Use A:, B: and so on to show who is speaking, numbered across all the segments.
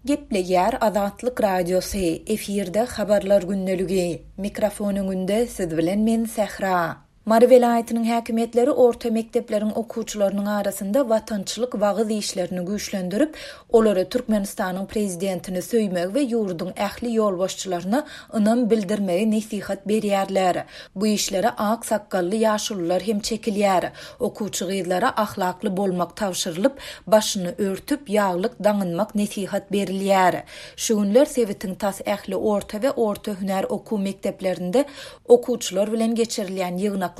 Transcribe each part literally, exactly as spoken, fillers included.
A: Gepleýär Azatlyk Radiosy, efirde Habarlar gündeligi. Mikrofon öňünde siz bilen men Sähra. Mary welaýatynyň häkimiýetleri orta mekdepleriň okuwçylarynyň arasynda watançylyk wagyz işlerini güýçlendirip, olara Türkmenistanyň prezidentini söýmegi we ýurduň ähli ýolbaşçylaryna ynam bildirmegi nesihat berýärler. Bu işlere ak sakgally ýaşulular hem çekilýär. Okuwçy gyzlara ahlakly bolmak tabşyrylyp, başyny örtüp, ýaglyk daňynmak nesihat berilýär. Şu günler sebitiň tas ähli orta we orta hünär okuw mekdeplerinde okuwçylar bilen geçirilýän ýygnaklar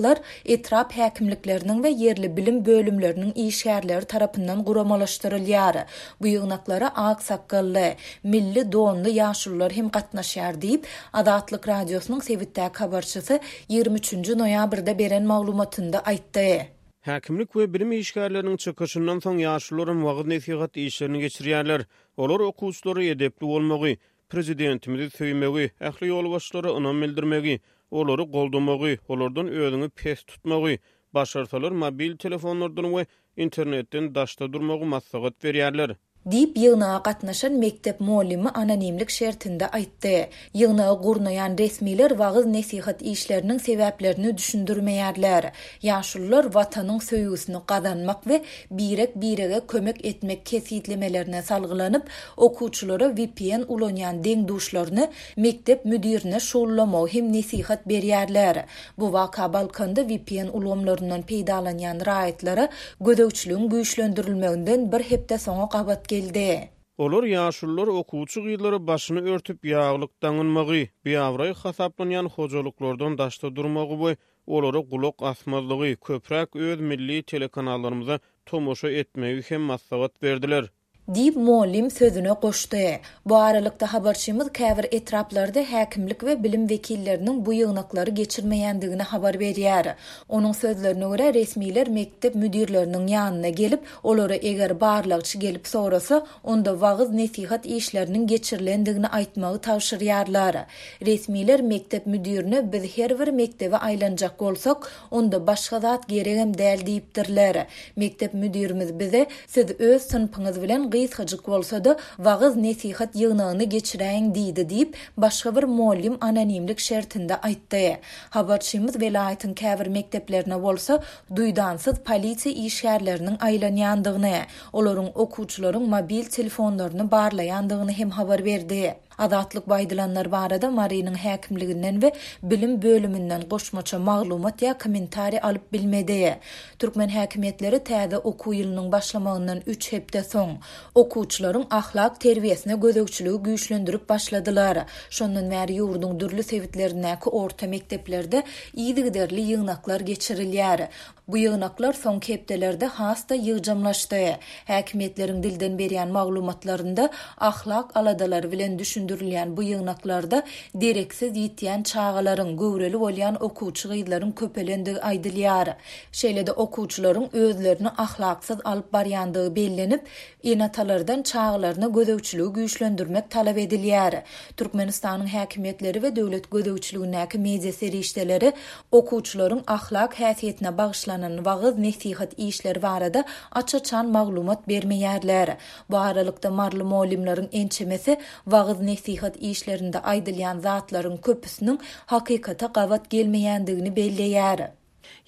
A: etrap häkimlikleriniň we ýerli bilim bölümleriniň işgärleri tarapyndan guramalaşdyrylýar. Bu ýygnaklara ak sakgally, milli donly ýaşulular hem gatnaşýar diýip, Azatlyk Radiosynyň sebitdäki habarçysy ýigrimi üçünji noýabrda beren maglumatynda aýtdy.
B: Häkimlik we bilim işgärleriniň çykyşyndan soň ýaşulularam wagyz-nesihat işlerini geçirýärler. Olar okuwçylara edepli bolmagy, prezidentimizi söýmegi, ähli ýolbaşçylara ynam bildirmegi, olary goldamagy, olardan özüňi pes tutmagy, başarsalar mobil telefonlardan we internetden daşda durmagy maslahat berýärler.
A: Diýip, ýygnaga gatnaşan mekdep mugallymy anonimlik şertinde aýtdy. Ýygnagy gurnaýan resmiler wagyz-nesihat işleriniň sebäplerini düşündirmeýärler. Ýaşulular Watanyň söýgüsini gazanmak we birek-birege kömek etmek kesgitlemelerine salgylanyp, okuwçylara V P N ulanýan deň-duşlaryny mekdep müdirine şugullamagy hem nesihat berýärler. Bu waka Balkanda V P N ulgamlaryndan peýdalanýan raýatlara gözegçiligiň güýçlendirilmeginden bir hepde soňa gabat geldi.
B: Olar ýaşulular okuwçy gyzlara başyny örtüp ýaglyk daňynmagy, biabraý hasaplanýan hojalyklardan daşda durmagy we olara gulak asmazlygy, köpräk öz milli telekanallarymyza tomaşa etmegi hem maslahat berdiler.
A: Diýip, muallim sözüne goşdy. Bu aralykda habarçymyz käbir etraplarda häkimlik we bilim wekilleriniň bu ýygnaklary geçirmeýändigini habar berýär. Onuň sözlerine görä resmiler mekdep müdirleriniň ýanyna gelip, olara eger barlagçy gelip sorasa, onda wagyz nesihat işleriniň geçirilendigini aýtmagy tabşyrýarlar. Resmiler mekdep müdirine biz her bir mekdebe aýlanjak bolsak, onda başga zat geregem däl diýipdirler. Mekdep müdirimiz bize siz öz synpyňyz bilen gysgajyk bolsa-da wagyz nesihat ýygnagyny geçiräýiň diýdi diýip, başga bir muallim anonimlik şertinde aýtdy. Habarçymyz welaýatyň käbir mekdeplerine bolsa duýdansyz polisiýa işgärleriniň aýlanýandygyny, olaryň okuwçylaryň mobil telefonlaryny barlaýandygyny hem habar berdi. Azatlyk bu aýdylanlar barada Marynyň häkimliginden we bilim bölüminden goşmaça maglumat ýa kommentariý alyp bilmedi. Türkmen häkimiýetleri täze okuw ýylynyň başlamagyndan üç hepde soň okuwçylaryň ahlak terbiýesine gözegçiligi güýçlendirip başladylar. Şondan bäri ýurduň dürli sebitlerindäki orta mekdeplerde yzygiderli ýygnaklar geçirilýär. Bu ýygnaklar soňky hepdelerde has-da ýygjamlaşdy. Häkimiýetleriň dilden berýän maglumatlarynda ahlak aladalary bilen düşündirilýän bu ýygnaklarda dereksiz ýitýän çagalaryň, göwreli bolýan okuwçy gyzlaryň köpelendigi aýdylýar. Şeýle-de okuwçylaryň özlerini ahlaksyz alyp barýandygy bellenip, ene-atalardan çagalaryna gözegçiligi güýçlendirmek talap edilýär. Türkmenistanyň häkimiýetleri we döwlet gözegçiligindäki media serişdeleri okuwçylaryň ahlak häsiýetine bagyşlanan wagyz nesihat işleri barada aç-açan maglumat bermeýärler. Bu aralykda marly muallimleriň ençemesi wagyz nesihat işlerinde aýdylýan zatlaryň köpüsiniň hakykata gabat gelmeýändigini belleýär.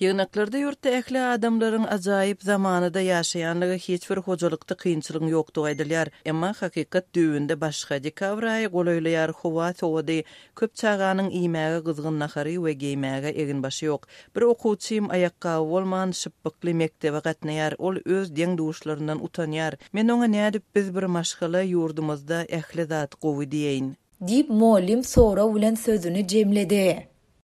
C: Ýygnaklarda ýurtda ähli adamlaryň ajaýyp zamanada ýaşaýanlygy hiç bir hojalykda kynçylygyň ýokdugy aýdylýar. Emma hakykat düwünde başga dekabr aýy golaýlaýar, howa sowady, köp çaganyň iýmäge gyzgyn nahary we geýmäge eginbaşy ýok. Bir okuwçym aýakgaby bolman şypbykly mekdebe gatnaýar, ol öz deň-duşlaryndan utanýar. Men oňa nädip biz bir maşgala ýurdumyzda ähli zat gowy diýeýin?
A: Diýip, muallim sorag bilen sözüni jemledi.